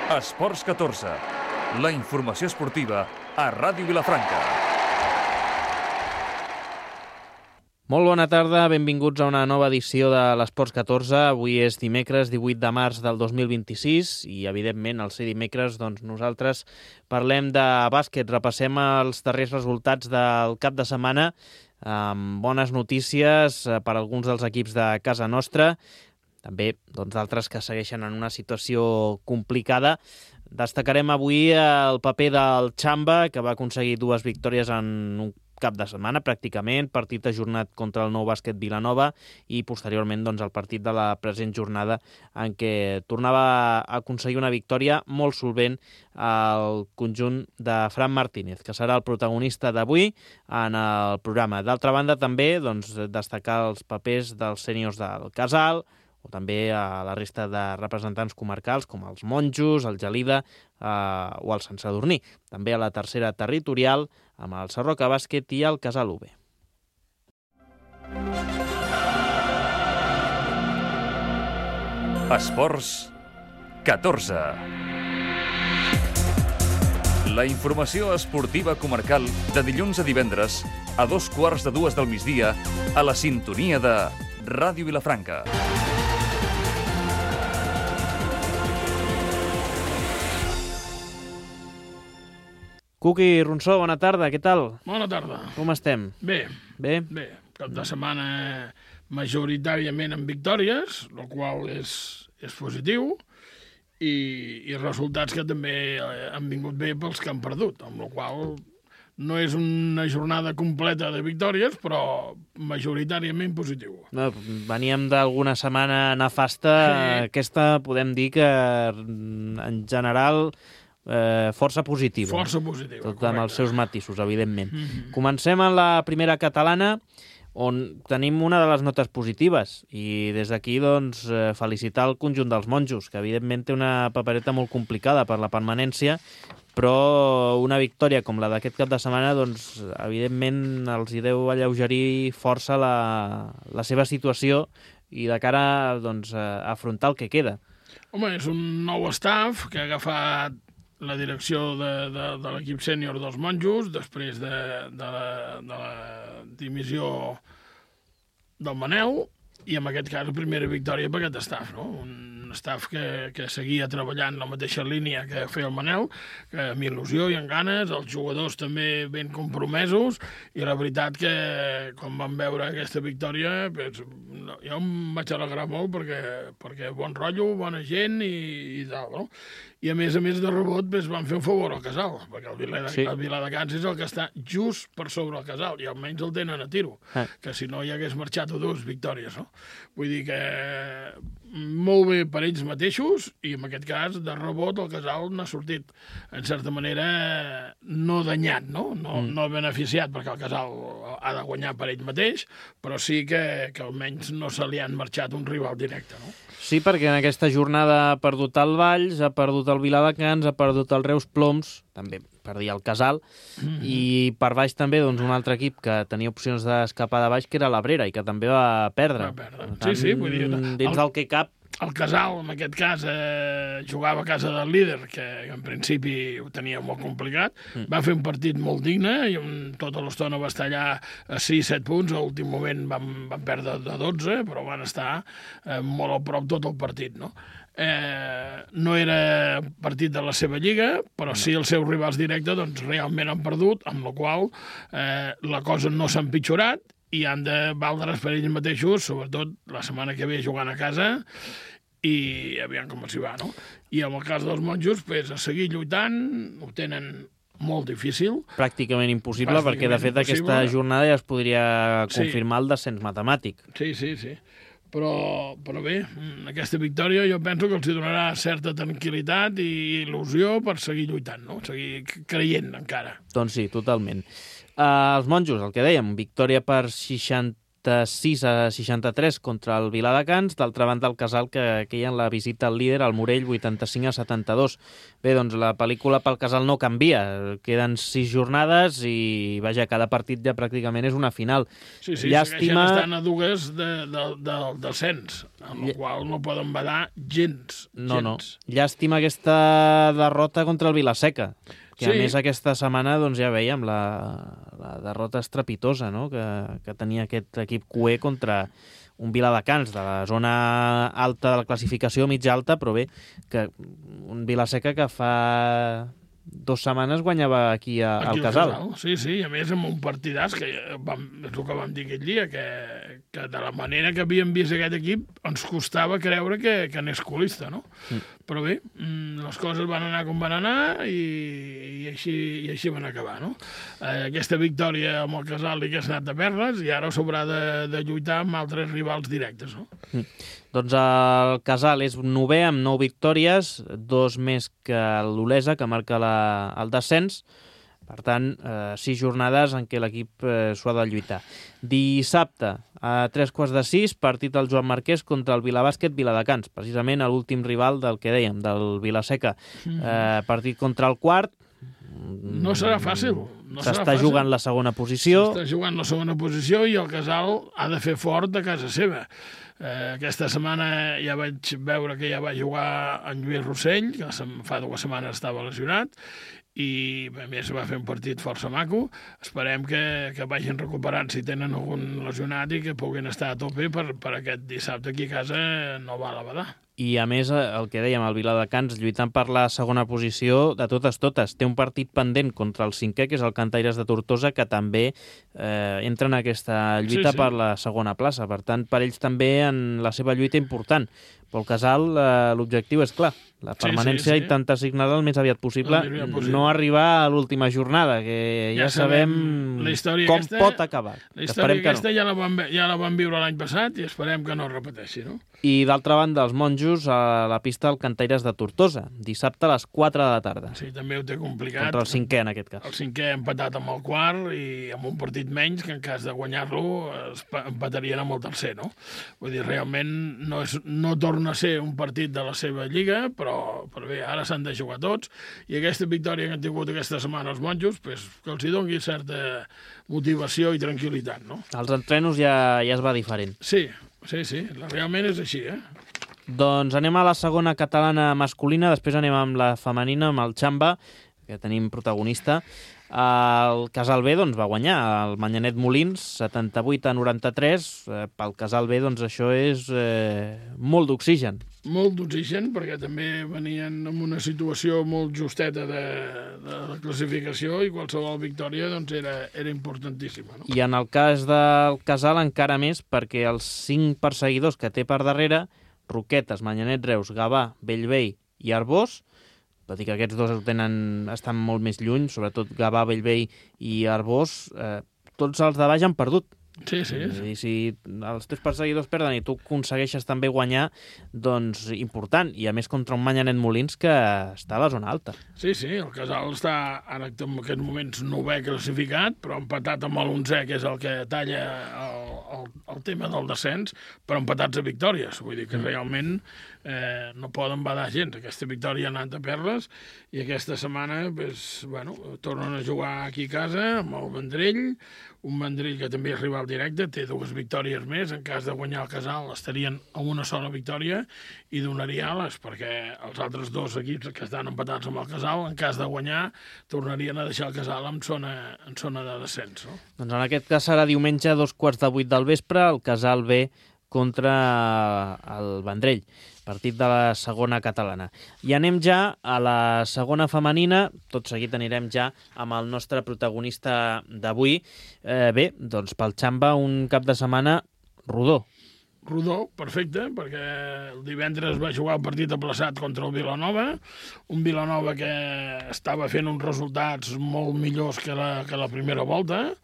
Esports 14, la informació esportiva a Ràdio Vilafranca. Molt bona tarda, benvinguts a una nova edició de l'Esports 14. Avui és dimecres 18 de març del 2026 i, evidentment, al ser dimecres, doncs, nosaltres parlem de bàsquet. Repassem els darrers resultats del cap de setmana amb bones notícies per a alguns dels equips de casa nostra. També d'altres que segueixen en una situació complicada. Destacarem avui el paper del Xamba, que va aconseguir 2 victòries en un cap de setmana, pràcticament, partit ajornat contra el Nou Bàsquet Vilanova i posteriorment el partit de la present jornada en què tornava a aconseguir una victòria molt solvent al conjunt de Fran Martínez, que serà el protagonista d'avui en el programa. D'altra banda, també destacar els papers dels sèniors del Casal, o també a la resta de representants comarcals com els Monjos, el Gelida o el Sant Sadurní. També a la tercera territorial amb el Sarroca Bàsquet i el Casal UB. Esports 14. La informació esportiva comarcal de dilluns a divendres a 2:15 del migdia a la sintonia de Ràdio Vilafranca. Cuqui Ronsó, bona tarda, què tal? Bona tarda. Com estem? Bé. Bé? Bé. Cap de setmana majoritàriament amb victòries, el qual és positiu, i resultats que també han vingut bé pels que han perdut, amb la qual no és una jornada completa de victòries, però majoritàriament positiu. No, veníem d'alguna setmana nefasta. Aquesta podem dir que en general força positiva. Força positiva, tot correcte. amb els seus matisos, evidentment. Comencem en la primera catalana, on tenim una de les notes positives, i des d'aquí felicitar el conjunt dels Monjos, que evidentment té una papereta molt complicada per la permanència, però una victòria com la d'aquest cap de setmana, evidentment els hi deu alleugerir força la seva situació i de cara a afrontar el que queda. Home, és un nou staff que ha agafat la direcció de l'equip sènior dels Monjos després de la dimissió del Manel, i en aquest cas la primera victòria per aquest staff, no? Un staff que seguia treballant la mateixa línia que feia el Manel, que amb il·lusió i amb ganes, els jugadors també ben compromesos, i la veritat que quan vam veure aquesta victòria jo em vaig alegrar molt perquè bon rotllo, bona gent i tal, no? I a més de rebot van fer un favor al Casal, perquè el Viladecans és el que està just per sobre el Casal, i almenys el tenen a tiro, que si no hi hagués marxat a 2 victòries, no? Vull dir que molt bé per ells mateixos, i en aquest cas de rebot el Casal n'ha sortit en certa manera no danyat, no beneficiat, perquè el Casal ha de guanyar per ell mateix, però sí que almenys no se li han marxat un rival directe, no? Sí, perquè en aquesta jornada ha perdut el Valls, ha perdut el Viladecans, ha perdut el Reus Ploms, també perdia el Casal, i per baix també un altre equip que tenia opcions d'escapar de baix, que era l'Abrera, i que també va perdre. Sí, vull dir... Dins del que cap... El Casal, en aquest cas, jugava a casa del líder, que en principi ho tenia molt complicat. Va fer un partit molt digne, i tota l'estona va estar allà a 6-7 punts. A l'últim moment van perdre de 12, però van estar molt a prop tot el partit, no? No era partit de la seva lliga, però sí els seus rivals directes realment han perdut, amb la qual la cosa no s'ha empitjorat, i han de valdre's per ells mateixos, sobretot la setmana que ve jugant a casa, i aviam com s'hi va, no? I en el cas dels Monjos, a seguir lluitant, ho tenen molt difícil. Pràcticament impossible, perquè de fet aquesta jornada ja es podria confirmar el descens matemàtic. Sí. Però bé, aquesta victòria jo penso que els donarà certa tranquil·litat i il·lusió per seguir lluitant, no? Seguir creient encara. Doncs sí, totalment. Els Monjos, el que dèiem, victòria per 60 86-63 contra el Viladecans. D'altra banda, el Casal que queia en la visita al líder, al Morell, 85-72. Bé, doncs la pel·lícula pel Casal no canvia. Queden 6 jornades i, vaja, cada partit ja pràcticament és una final. Sí, segueixen estant a dues del descens, amb la qual no poden badar gens. No. Llàstima aquesta derrota contra el Vilaseca, que a més aquesta setmana doncs, ja veiem la derrota estrepitosa, no? que tenia aquest equip cué contra un Viladecans de la zona alta de la classificació, mitja alta, però bé, que un Vilaseca que fa 2 setmanes guanyava aquí al Casal. Sí, i a més amb un partidàs, que és el que vam dir aquell dia, que de la manera que havíem vist aquest equip ens costava creure que anés colista, no? Però bé, les coses van anar com van anar i així van acabar, no? Aquesta victòria amb el Casal li hagués anat de perles i ara s'haurà de lluitar amb altres rivals directes, no? Doncs el Casal és 9è amb 9 victòries, 2 més que l'Olesa, que marca el descens. Per tant, 6 jornades en què l'equip s'ho ha de lluitar. Dissabte, a 3:15, partit del Joan Marquès contra el Vilabàsquet Viladecans, precisament l'últim rival del que dèiem, del Vilaseca. Partit contra el quart. No serà fàcil. S'està jugant la segona posició. S'està jugant la segona posició i el Casal ha de fer fort de casa seva. Aquesta setmana ja vaig veure que ja va jugar en Lluís Rossell, que fa 2 setmanes estava lesionat, i a més va fer un partit força maco. Esperem que vagin recuperant si tenen algun lesionat i que puguin estar a tope per aquest dissabte aquí a casa no val a badar. I a més, el que dèiem, el Viladecans lluitant per la segona posició de totes. Té un partit pendent contra el 5è, que és el Cantaires de Tortosa, que també entra en aquesta lluita per la segona plaça. Per tant, per ells també en la seva lluita important. Pel Casal l'objectiu és clar, la permanència intenta assignar-la el més aviat possible, no arribar a l'última jornada, que ja sabem com pot acabar. La història aquesta ja la vam viure l'any passat i esperem que no es repeteixi, no? I d'altra banda, els monjos a la pista del Cantaires de Tortosa, dissabte a les 4 de la tarda. Sí, també ho té complicat. Contra el 5è, en aquest cas. El 5è empatat amb el quart i amb un partit menys, que en cas de guanyar-lo empatarien amb el tercer, no? Vull dir, realment no torna a ser un partit de la seva lliga, però bé, ara s'han de jugar tots, i aquesta victòria que han tingut aquesta setmana els monjos, que els hi doni certa motivació i tranquil·litat, no? Els entrenos ja es va diferent. Sí, realment és així, Doncs anem a la segona catalana masculina, després anem amb la femenina, amb el Xamba, que tenim protagonista. El Casal B va guanyar el Manyanet Molins 78-93. Pel Casal B això és molt d'oxigen. Molt d'oxigen, perquè també venien en una situació molt justeta de la classificació i qualsevol victòria era importantíssima. No? I en el cas del Casal encara més, perquè els 5 perseguidors que té per darrere, Roquetes, Manyanet Reus, Gavà, Bellvei i Arbós, tot i que aquests dos estan molt més lluny, sobretot Gavà, Bellvei i Arbós, tots els de baix han perdut. Sí. I si els teus perseguidors perden i tu aconsegueixes també guanyar, doncs important. I a més contra un Manyanet Molins que està a la zona alta. Sí, el Casal està ara en aquests moments 9è classificat, però empatat amb l'11è, que és el que talla el tema del descens, però empatats a victòries. Vull dir que realment no poden badar gens. Aquesta victòria ha anat a perles i aquesta setmana tornen a jugar aquí a casa amb el Vendrell, un Vendrell que també és rival directe, té 2 victòries més. En cas de guanyar el Casal estarien a una sola victòria i donaria ales, perquè els altres 2 equips que estan empatats amb el Casal, en cas de guanyar, tornarien a deixar el Casal en zona de descens. No? Doncs en aquest cas serà diumenge a 7:15 del vespre, el Casal B contra el Vendrell, partit de la segona catalana. I anem ja a la segona femenina, tot seguit anirem ja amb el nostre protagonista d'avui. Doncs pel Xamba un cap de setmana rodó. Rodó, perfecte, perquè el divendres va jugar el partit aplaçat contra el Vilanova, un Vilanova que estava fent uns resultats molt millors que la primera volta,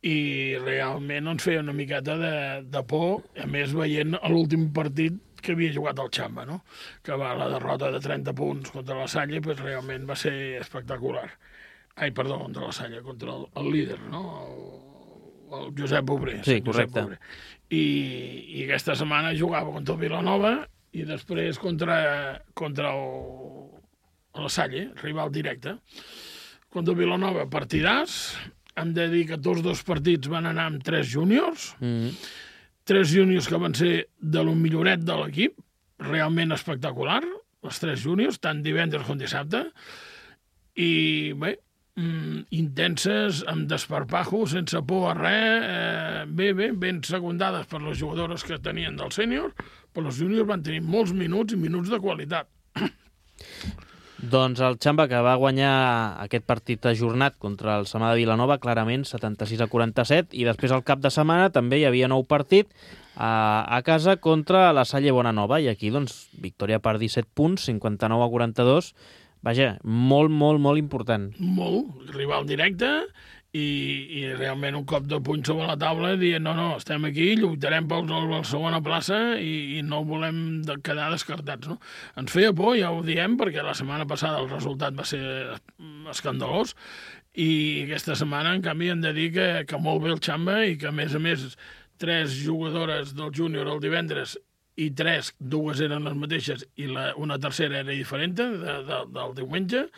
i realment ens feia una miqueta de por, a més veient l'últim partit que havia jugat el Xamba, no? Que va la derrota de 30 punts contra la Salle, realment va ser espectacular. Contra la Salle, contra el líder, no? el Josep Obré. Sí, correcte. Obré. I aquesta setmana jugava contra el Vilanova i després contra la Salle, rival directe. Contra el Vilanova, partidàs. Hem de dir que tots dos partits van anar amb 3 júniors. 3 júniors que van ser de lo milloret de l'equip, realment espectacular, els 3 júniors, tant divendres com dissabte. I bé, intenses, amb desparpajo, sense por a res, ben secundades per les jugadores que tenien del sènior, però els júniors van tenir molts minuts i minuts de qualitat. Doncs el Xamba, que va guanyar aquest partit ajornat contra el Samà de Vilanova, clarament 76-47, i després al cap de setmana també hi havia nou partit a casa contra la Salle Bonanova, i aquí doncs victòria per 17 punts, 59-42, vaja, molt, molt, molt important. Molt, rival directe, i realment un cop de puny sobre la taula dient no, estem aquí, lluitarem per la segona plaça i no volem quedar descartats, no? Ens feia por, ja ho diem, perquè la setmana passada el resultat va ser escandalós i aquesta setmana, en canvi, hem de dir que molt bé el Xamba i que, a més, 3 jugadores del júnior el divendres i 2 eren les mateixes i una tercera era diferent del diumenge,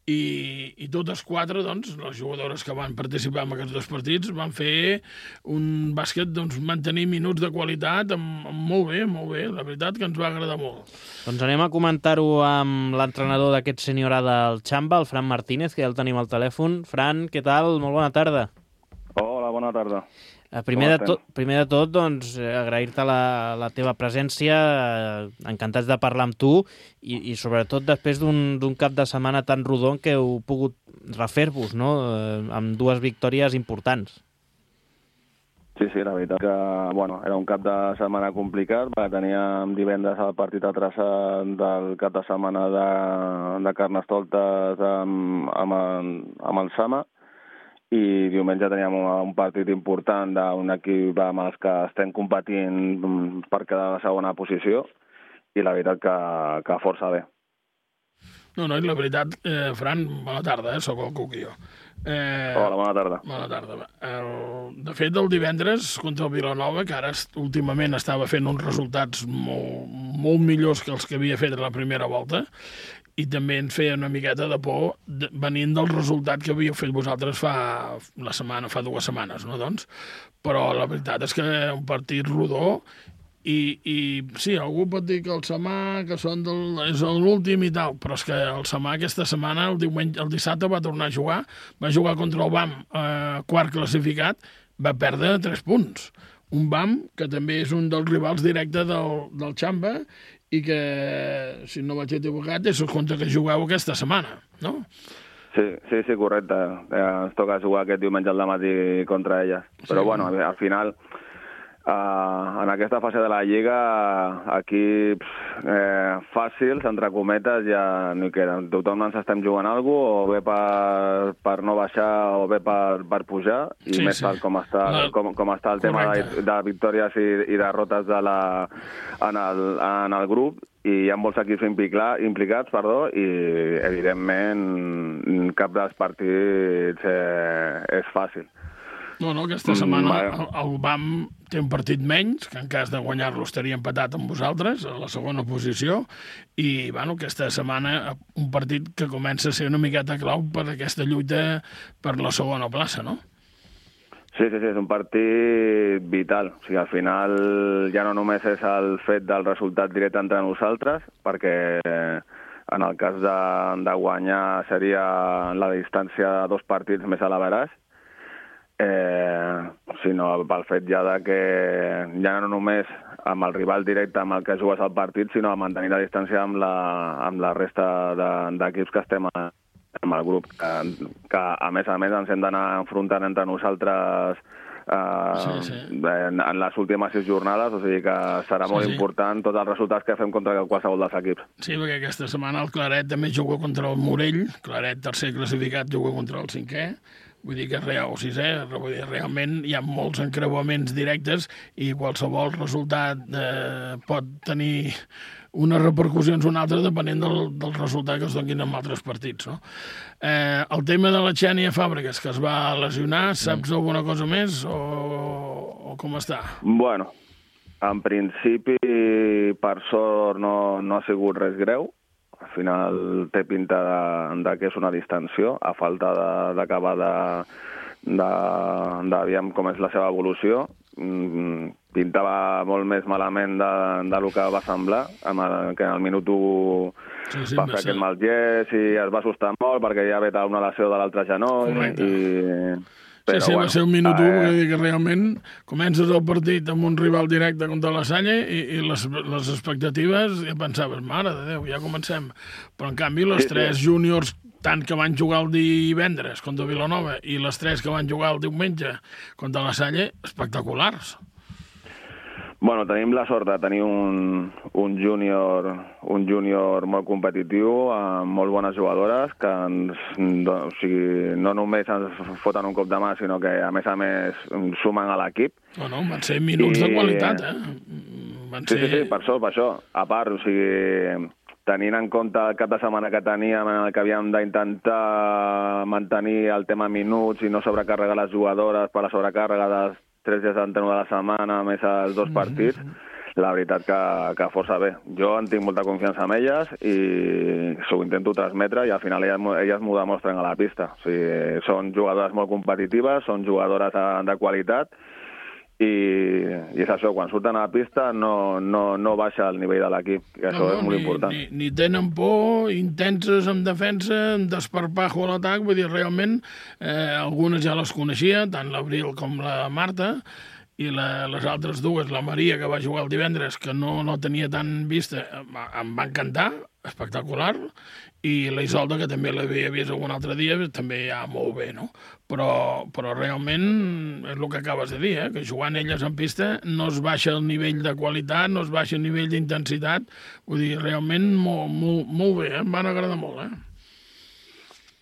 i totes 4, doncs, les jugadores que van participar en aquests 2 partits van fer un bàsquet, doncs, mantenir minuts de qualitat molt bé, la veritat que ens va agradar molt. Doncs anem a comentar-ho amb l'entrenador d'aquest sènior A del Xamba, el Fran Martínez, que ja el tenim al telèfon. Fran, què tal? Molt bona tarda. Hola, bona tarda. Primer de tot, doncs, agrair-te la teva presència, encantats de parlar amb tu i sobretot després d'un cap de setmana tan rodó que heu pogut refer-vos, no?, amb 2 victòries importants. Sí, la veritat que era un cap de setmana complicat, perquè teníem divendres el partit a traça del cap de setmana de Carnestoltes amb el Sama, i diumenge teníem un partit important d'un equip amb els que estem competint per quedar a la segona posició, i la veritat que força bé. No, i la veritat, Fran, bona tarda, sóc el Cuc i jo. Hola, bona tarda. Bona tarda. De fet, el divendres contra el Vilanova, que ara últimament estava fent uns resultats molt millors que els que havia fet a la primera volta, i també ens feia una miqueta de por venint del resultat que havíeu fet vosaltres fa 2 setmanes, no, doncs? Però la veritat és que un partit rodó i sí, algú pot dir que el Samà, que és l'últim i tal, però és que el Samà aquesta setmana, el dissabte va tornar a jugar, va jugar contra el BAM, quart classificat, va perdre 3 punts. Un BAM que també és un dels rivals directes del Xamba i que, si no vaig equivocat, és el contra que jugueu aquesta setmana, no? Sí, correcte. Ens toca jugar aquest diumenge al matí contra elles. Però, al final, en aquesta fase de la Lliga, equips fàcils, entre cometes, ja no hi queden. Tothom ens estem jugant alguna cosa, o bé per no baixar o bé per pujar, i més tal com està el tema de victòries i derrotes en el grup, i hi ha molts equips implicats, i evidentment cap dels partits és fàcil. No, aquesta setmana el BAM té un partit menys, que en cas de guanyar-lo estaria empatat amb vosaltres, a la segona posició, i aquesta setmana un partit que comença a ser una miqueta clau per aquesta lluita per la segona plaça, no? Sí, és un partit vital. O sigui, al final ja no només és el fet del resultat directe entre nosaltres, perquè en el cas de guanyar seria la distància de 2 partits més a l'averaç, sinó pel fet ja que ja no només amb el rival directe amb el que jugues al partit, sinó a mantenir la distància amb la resta d'equips que estem amb el grup, que a més ens hem d'anar enfrontant entre nosaltres en les últimes 6 jornades, o sigui que serà molt important tots els resultats que fem contra qualsevol dels equips. Sí, perquè aquesta setmana el Claret també juga contra el Morell, Claret tercer classificat juga contra el 5è, Vull dir que realment hi ha molts encreuaments directes i qualsevol resultat pot tenir unes repercussions o una altra depenent del resultat que es donin en altres partits, no? El tema de la Xènia Fàbregas, que es va lesionar, saps alguna cosa més o com està? Bueno, en principi, per sort, no ha sigut res greu. Al final té pinta de que és una distensió, a falta d'acabar d'aviam com és la seva evolució. Pintava molt més malament del que va semblar, que al minut 1 va fer aquest mal gest i es va assustar molt perquè ja ve una lesió de l'altre genoll. Però, sí, va ser un minut 1, vull dir que realment comences el partit amb un rival directe contra la Salle i les expectatives, ja pensaves, mare de Déu, ja comencem. Però, en canvi, les tres júniors, tant que van jugar el divendres contra Vilanova i les tres que van jugar el diumenge contra la Salle, espectaculars. Bueno, tenim la sort de tenir un júnior molt competitiu, amb molt bones jugadores, que no només ens foten un cop de mà, sinó que, a més, sumen a l'equip. No, van ser minuts de qualitat, Sí, per això. A part, tenint en compte el cap de setmana que teníem, en el que havíem d'intentar mantenir el tema minuts i no sobrecarregar les jugadores per la sobrecàrrega dels 3 dies d'entrenament de la setmana, més els 2 partits, la veritat que força bé. Jo en tinc molta confiança en elles i ho intento transmetre i al final elles m'ho demostren a la pista. O sigui, són jugadores molt competitives, són jugadores de qualitat i és això, quan surten a la pista no baixa el nivell de l'equip, que això és molt important. Ni tenen por, intenses en defensa, en desparpajo a l'atac, vull dir, realment algunes ja les coneixia, tant l'Abril com la Marta, i les altres dues, la Maria, que va jugar el divendres, que no tenia tan vista, em va encantar, espectacular, i la Isolda, que també l'havia vist algun altre dia, també ja molt bé, no? Però realment és el que acabes de dir, que jugant elles en pista no es baixa el nivell de qualitat, no es baixa el nivell d'intensitat, vull dir, realment molt bé, em van agradar molt,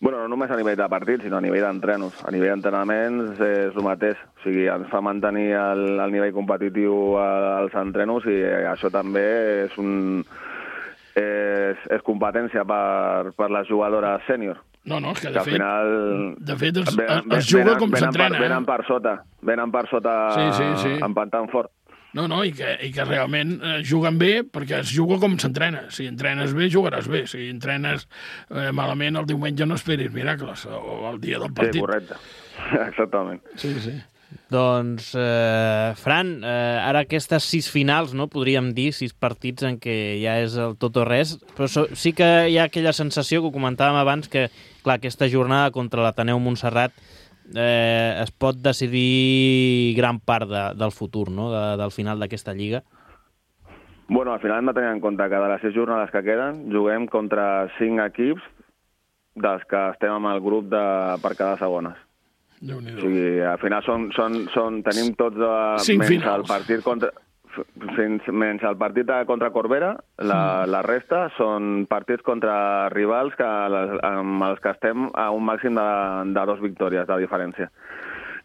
Bueno, no només a nivell de partit, sinó a nivell d'entrenos. A nivell d'entrenaments és el mateix. O sigui, ens fa mantenir el nivell competitiu als entrenos i això també és competència per les jugadores sènior. No, és que de fet es juga com s'entrena. Venen per sota empantant fort. No, i que realment juguen bé perquè es juga com s'entrena. Si entrenes bé, jugaràs bé. Si entrenes malament, el diumenge no esperis miracles, o el dia del partit. Sí, correcte. Exactament. Sí. Doncs, Fran, ara aquestes 6 finals, no, podríem dir, 6 partits en què ja és el tot o res, però sí que hi ha aquella sensació que ho comentàvem abans, que, clar, aquesta jornada contra l'Ateneu Montserrat es pot decidir gran part del futur, no?, del final d'aquesta lliga. Bueno, al final hem de tenir en compte que de les 6 jornades que queden juguem contra 5 equips dels que estem amb el grup per cada segones. O sigui, al final tenim tots menys el partit contra Corbera, la resta són partits contra rivals amb els que estem a un màxim de 2 victòries de diferència.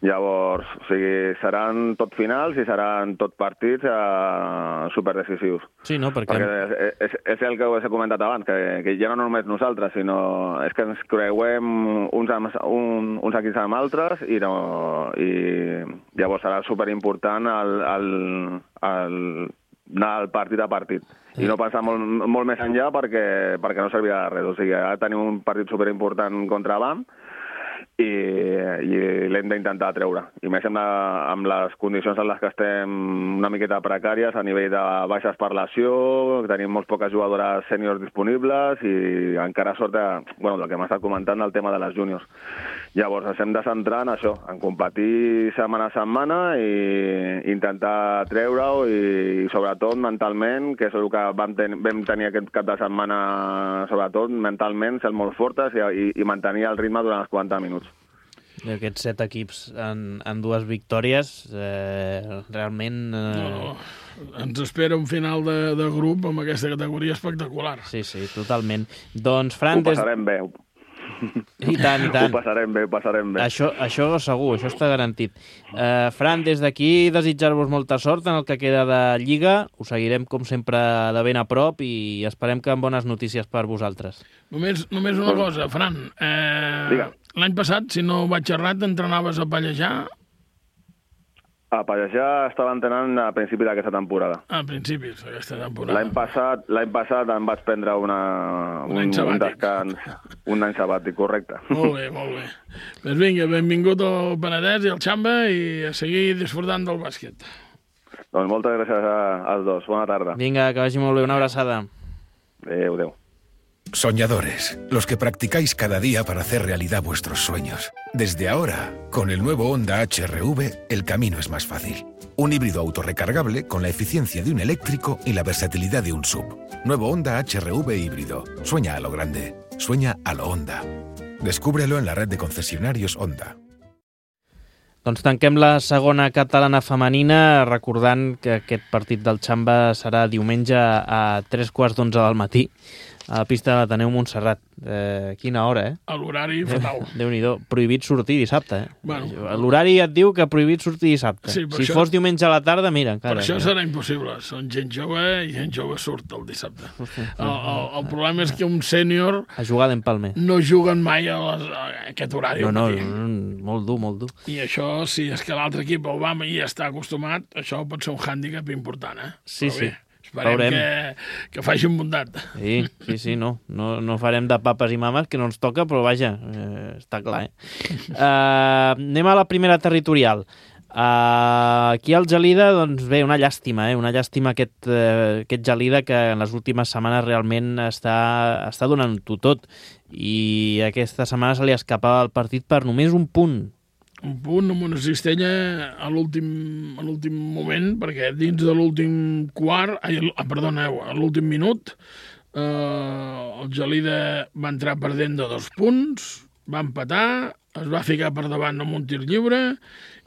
Llavors, o sigui, seran tot finals i seran tot partits superdecisius. Sí, no? Perquè és el que us he comentat abans, que ja no només nosaltres, sinó és que ens creuem uns equips amb altres i llavors serà superimportant anar al partit a partit. I no passar molt més enllà perquè no servirà de res. O sigui, ara tenim un partit superimportant contra BAM i l'hem d'intentar treure. I més amb les condicions en les que estem una miqueta precàries a nivell de baixes per lesió, tenim molt poques jugadores sèniors disponibles i encara sort el que m'ha estat comentant del tema de les júniors. Llavors ens hem de centrar en això, en competir setmana a setmana i intentar treure-ho i sobretot mentalment, que és el que vam tenir aquest cap de setmana, sobretot mentalment, ser molt fortes i mantenir el ritme durant els 40 minuts. I aquests 7 equips en 2 victòries, realment... No. Ens espera un final de grup amb aquesta categoria espectacular. Sí, totalment. Doncs, Fran... Ho passarem bé. I tant, i tant. Ho passarem bé. Això segur, això està garantit. Fran, des d'aquí desitjar-vos molta sort en el que queda de Lliga. Us seguirem, com sempre, de ben a prop i esperem que amb bones notícies per vosaltres. Només una cosa, Fran. L'any passat, si no vaig errat, t'entrenaves a pallejar? A pallejar estava entrenant a principi d'aquesta temporada. A principis d'aquesta temporada. L'any passat em vaig prendre un descans, un any sabàtic, correcte. Molt bé. Doncs vinga, benvingut al Penedès i al Xamba i a seguir disfrutant del bàsquet. Doncs moltes gràcies als dos. Bona tarda. Vinga, que vagi molt bé. Una abraçada. Adéu. Soñadores, los que practicáis cada día para hacer realidad vuestros sueños. Desde ahora, con el nuevo Honda HR-V, el camino es más fácil. Un híbrido autorrecargable con la eficiencia de un eléctrico y la versatilidad de un SUV. Nuevo Honda HR-V híbrido. Sueña a lo grande. Sueña a lo Honda. Descúbrelo en la red de concesionarios Honda. Doncs tanquem la segona catalana femenina recordant que aquest partit del Xamba serà diumenge a 3:15 del matí a la pista de l'Ateneu Montserrat. Quina hora, eh? A l'horari fatal. Déu-n'hi-do. Prohibit sortir dissabte, eh? Bueno. L'horari et diu que prohibit sortir dissabte. Sí, si fos diumenge a la tarda, mira, encara. Per això serà impossible. Són gent jove i gent jove surt el dissabte. El problema és que un sènior... A jugar d'empalme. No juguen mai a aquest horari. No, molt dur. I això, si és que l'altre equip el va i està acostumat, això pot ser un hàndicap important, eh? Sí. Esperem que facin bondat. Sí, no farem de papes i mames, que no ens toca, però vaja, està clar, anem a la primera territorial. Aquí al Gelida, doncs bé, una llàstima aquest Gelida que en les últimes setmanes realment està donant-ho tot i aquesta setmana se li escapava el partit per només un punt. Un punt amb una cistella a l'últim moment, perquè dins de l'últim a l'últim minut, el Gelida va entrar perdent de 2 punts, va empatar, es va ficar per davant amb un tir lliure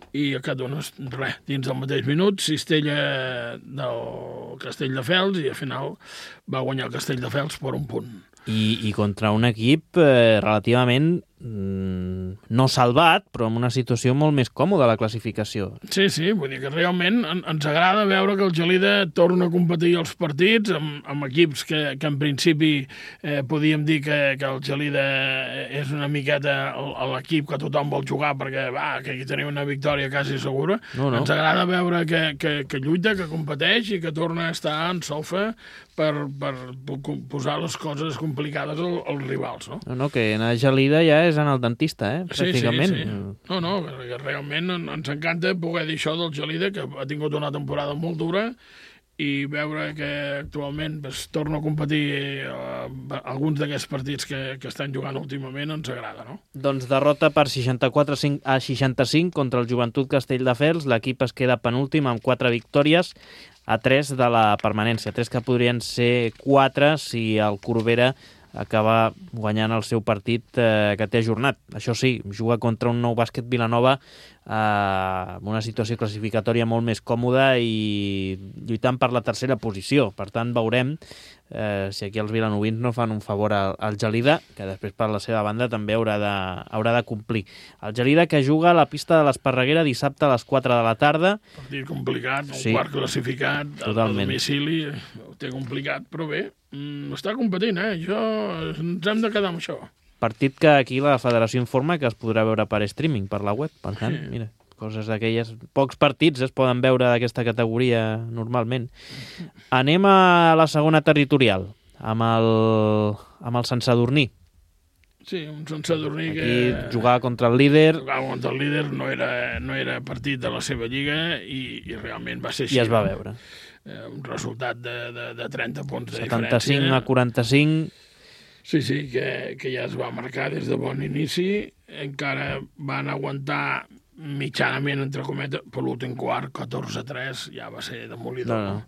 i a cada un, dins del mateix minut, cistella del Castelldefels i al final va guanyar el Castelldefels per un punt. I contra un equip relativament no salvat, però en una situació molt més còmoda a la classificació. Sí, vull dir que realment ens agrada veure que el Gelida torna a competir els partits amb equips que en principi podíem dir que el Gelida és una miqueta l'equip que tothom vol jugar perquè que aquí tenim una victòria quasi segura. No. Ens agrada veure que lluita, que competeix i que torna a estar en solfa per posar les coses complicades als rivals, no? No, que anar a Gelida ja és anar al dentista, pràcticament. Sí. No, que realment ens encanta poder dir això del Gelida, que ha tingut una temporada molt dura i veure que actualment torna a competir alguns d'aquests partits que estan jugant últimament ens agrada, no? Doncs derrota per 64-65 contra el Joventut Castelldefels. L'equip es queda penúltim amb 4 victòries a 3 de la permanència. 3 que podrien ser 4 si el Corbera acaba guanyant el seu partit que té ajornat. Això sí, juga contra un Nou Bàsquet Vilanova amb una situació classificatòria molt més còmoda i lluitant per la tercera posició. Per tant, veurem si aquí els vilanovins no fan un favor al Gelida, que després per la seva banda també haurà de complir. El Gelida que juga a la pista de l'Esparreguera dissabte a les 4 de la tarda. Partit complicat, un quart classificat, a domicili, ho té complicat, però bé, està competint, ens hem de quedar amb això. Partit que aquí la federació informa que es podrà veure per streaming, per la web, per tant, mira, coses d'aquelles... Pocs partits es poden veure d'aquesta categoria normalment. Anem a la segona territorial, amb el Sant Sadurní. Sí, un Sant Sadurní que... Aquí jugava contra el líder. Jugava contra el líder, no era partit de la seva lliga i realment va ser així. I es va veure. Un resultat de 30 punts de 75 a 45... Sí, que ja es va marcar des de bon inici. Encara van aguantar mitjanament, entre cometes, per l'últim quart, 14-3, ja va ser demolidor. No.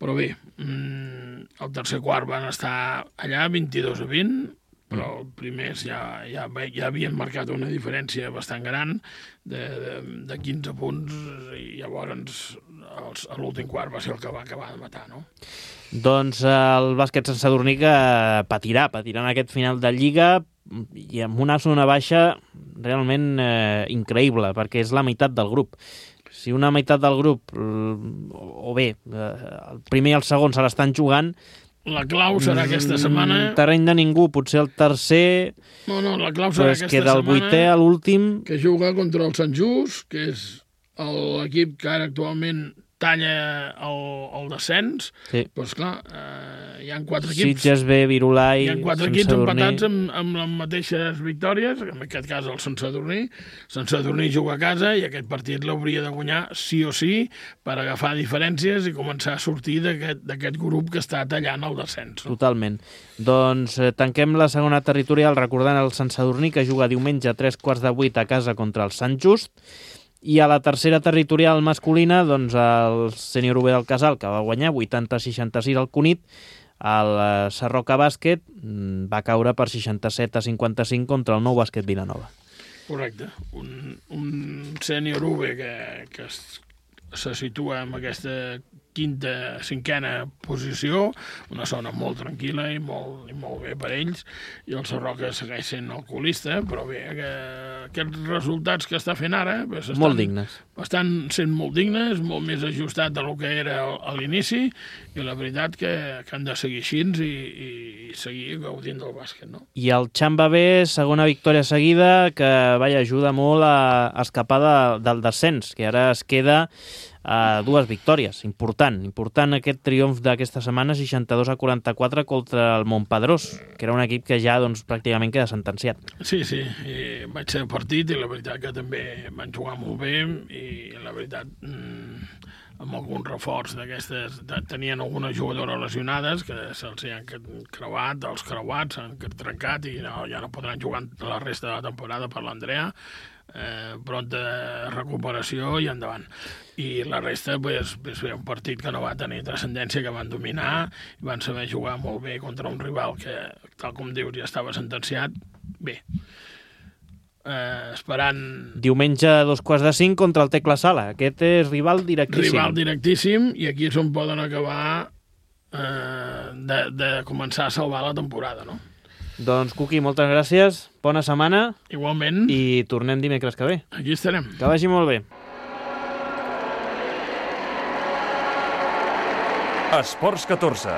Però bé, el tercer quart van estar allà, 22-20, però els primers ja havien marcat una diferència bastant gran de 15 punts i llavors a l'últim quart va ser el que va acabar de matar, no? Doncs el bàsquet Sant Sadurní que patirà en aquest final de Lliga i amb una zona baixa realment increïble, perquè és la meitat del grup. Si una meitat del grup, o bé, el primer i el segon se l'estan jugant, la clau serà aquesta setmana... Terreny de ningú, potser el tercer... No, la clau serà aquesta setmana... queda el vuitè a l'últim... Que juga contra el Sant Just, que és l'equip que ara actualment talla el descens. Sí. Doncs clar, hi ha 4 equips... Sitges B, Virolai, hi ha 4 equips empatats amb les mateixes victòries, en aquest cas el Sant Sadurní. Sant Sadurní juga a casa i aquest partit l'hauria de guanyar sí o sí per agafar diferències i començar a sortir d'aquest grup que està tallant el descens. No? Totalment. Doncs tanquem la segona territorial recordant el Sant Sadurní, que juga diumenge a 3:15 a casa contra el Sant Just. I a la tercera territorial masculina, doncs el Sènior UB del Casal, que va guanyar 80-66 al Cunit. El Sarroca Bàsquet va caure per 67-55 contra el Nou Bàsquet Vilanova. Correcte. Un Sènior UB que se situa en aquesta quinta, cinquena posició, una zona molt tranquil·la i molt bé per ells, i el Sarroca segueix sent alcoholista, però bé, aquests resultats que està fent ara molt dignes. Estan sent molt dignes, molt més ajustat del que era a l'inici, i la veritat que han de seguir així i seguir gaudint del bàsquet, no? I el Xamba B, segona victòria seguida, que ajuda molt a escapar del descens, que ara es queda a 2 victòries. Important aquest triomf d'aquesta setmana, 62-44 contra el Montpedrós, que era un equip que ja pràcticament queda sentenciat. Sí, i vaig ser partit i la veritat que també van jugar molt bé i la veritat amb algun reforç d'aquestes, tenien algunes jugadores lesionades que se'ls han creuat, els creuats s'han trencat i ja no podran jugar la resta de la temporada per l'Andrea. Pronta recuperació i endavant. I la resta és un partit que no va tenir transcendència, que van dominar i van saber jugar molt bé contra un rival que, tal com dius, ja estava sentenciat. Bé, esperant... Diumenge a 4:45 contra el Tecla Sala. Aquest és rival directíssim. Rival directíssim, i aquí és on poden acabar de començar a salvar la temporada, no? Doncs, Cuqui, moltes gràcies, bona setmana. Igualment. I tornem dimecres que ve. Aquí estarem. Que vagi molt bé. Esports 14,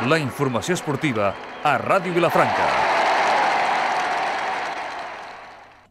la informació esportiva a Ràdio Vilafranca.